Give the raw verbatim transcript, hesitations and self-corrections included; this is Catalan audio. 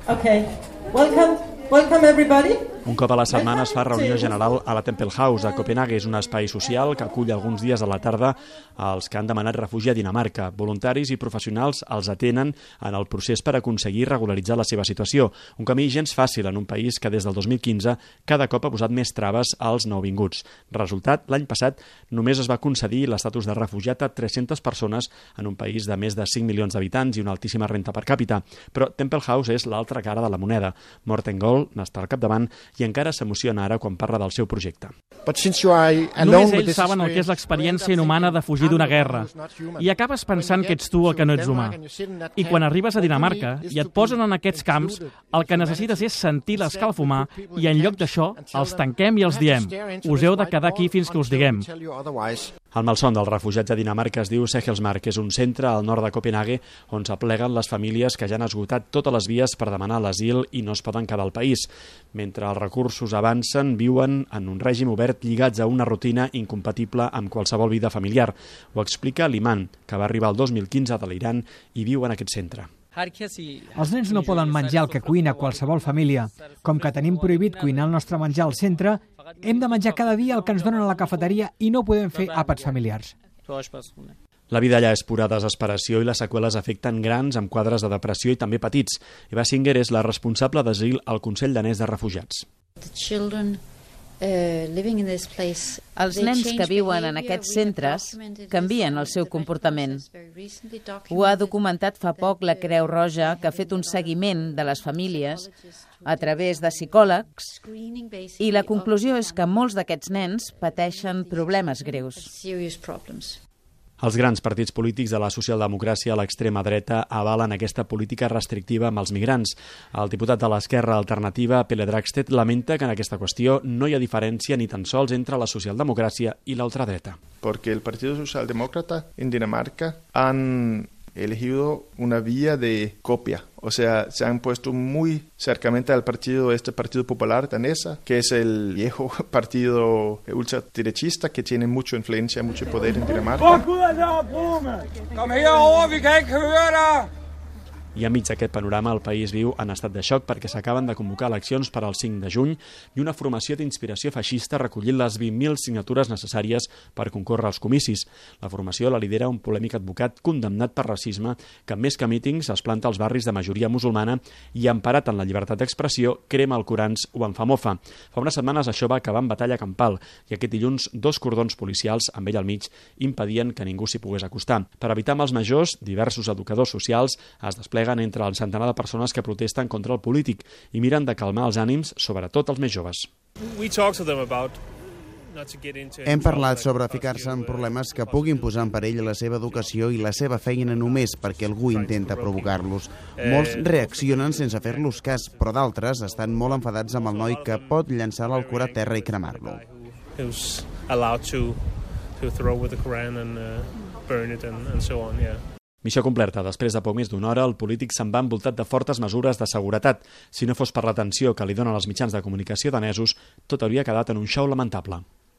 Okay. Welcome. Welcome everybody. Un cop a la setmana es fa reunió general a la Temple House a Copenhague. És un espai social que acull alguns dies a la tarda els que han demanat refugi a Dinamarca. Voluntaris i professionals els atenen en el procés per aconseguir regularitzar la seva situació. Un camí gens fàcil en un país que des del dos mil quinze cada cop ha posat més traves als nouvinguts. Resultat, l'any passat només es va concedir l'estatus de refugiat a tres-centes persones en un país de més de cinc milions d'habitants i una altíssima renta per càpita. Però Temple House és l'altra cara de la moneda. Morten Gold n'està al capdavant i encara s'emociona ara quan parla del seu projecte. Només ells saben el que és l'experiència inhumana de fugir d'una guerra i acabes pensant que ets tu el que no ets humà. I quan arribes a Dinamarca i et posen en aquests camps, el que necessites és sentir l'escalfumar i en lloc d'això els tanquem i els diem: us heu de quedar aquí fins que us diguem. El malson dels refugiats a Dinamarca es diu Sehelsmark. És un centre al nord de Copenhague on s'apleguen les famílies que ja han esgotat totes les vies per demanar l'asil i no es poden quedar al país. Mentre els recursos avancen, viuen en un règim obert lligats a una rutina incompatible amb qualsevol vida familiar. Ho explica l'Iman, que va arribar el dos mil quinze de l'Iran i viu en aquest centre. Els nens no poden menjar el que cuina qualsevol família. Com que tenim prohibit cuinar el nostre menjar al centre, hem de menjar cada dia el que ens donen a la cafeteria i no podem fer àpats familiars. La vida allà és pura desesperació i les seqüeles afecten grans amb quadres de depressió i també petits. Eva Singer és la responsable d'asil al Consell Danès de Refugiats. Els nens que viuen en aquests centres canvien el seu comportament. Ho ha documentat fa poc la Creu Roja, que ha fet un seguiment de les famílies a través de psicòlegs, i la conclusió és que molts d'aquests nens pateixen problemes greus. Els grans partits polítics de la socialdemocràcia a l'extrema dreta avalen aquesta política restrictiva amb els migrants. El diputat de l'Esquerra Alternativa, Pelle Dragsted, lamenta que en aquesta qüestió no hi ha diferència ni tan sols entre la socialdemocràcia i la ultradreta. Porque el Partido Socialdemócrata en Dinamarca han elegido una vía de copia, o sea, se han puesto muy cercamente al partido, este Partido Popular danesa, que es el viejo partido ultraderechista que tiene mucha influencia, mucho poder en Dinamarca. I enmig d'aquest panorama el país viu en estat de xoc perquè s'acaben de convocar eleccions per al cinc de juny i una formació d'inspiració feixista ha recollit les vint mil signatures necessàries per concórrer als comicis. La formació la lidera un polèmic advocat condemnat per racisme que, més que mítings, es planta als barris de majoria musulmana i, emparat en la llibertat d'expressió, crema el Corans o en fa mofa. Fa unes setmanes això va acabar en batalla campal i aquest dilluns dos cordons policials, amb ell al mig, impedien que ningú s'hi pogués acostar. Per evitar mals majors, diversos educadors socials es despleguen entre el centenar de persones que protesten contra el polític i miren de calmar els ànims, sobretot els més joves. Hem parlat sobre ficar-se en problemes que puguin posar en perill la seva educació i la seva feina només perquè algú intenta provocar-los. Molts reaccionen sense fer-los cas, però d'altres estan molt enfadats amb el noi que pot llançar l'Alcorà a terra i cremar-lo. Missió complerta. Després de poc més d'una hora, el polític se'n va envoltat de fortes mesures de seguretat. Si no fos per l'atenció que li donen els mitjans de comunicació danesos, tot hauria quedat en un show lamentable.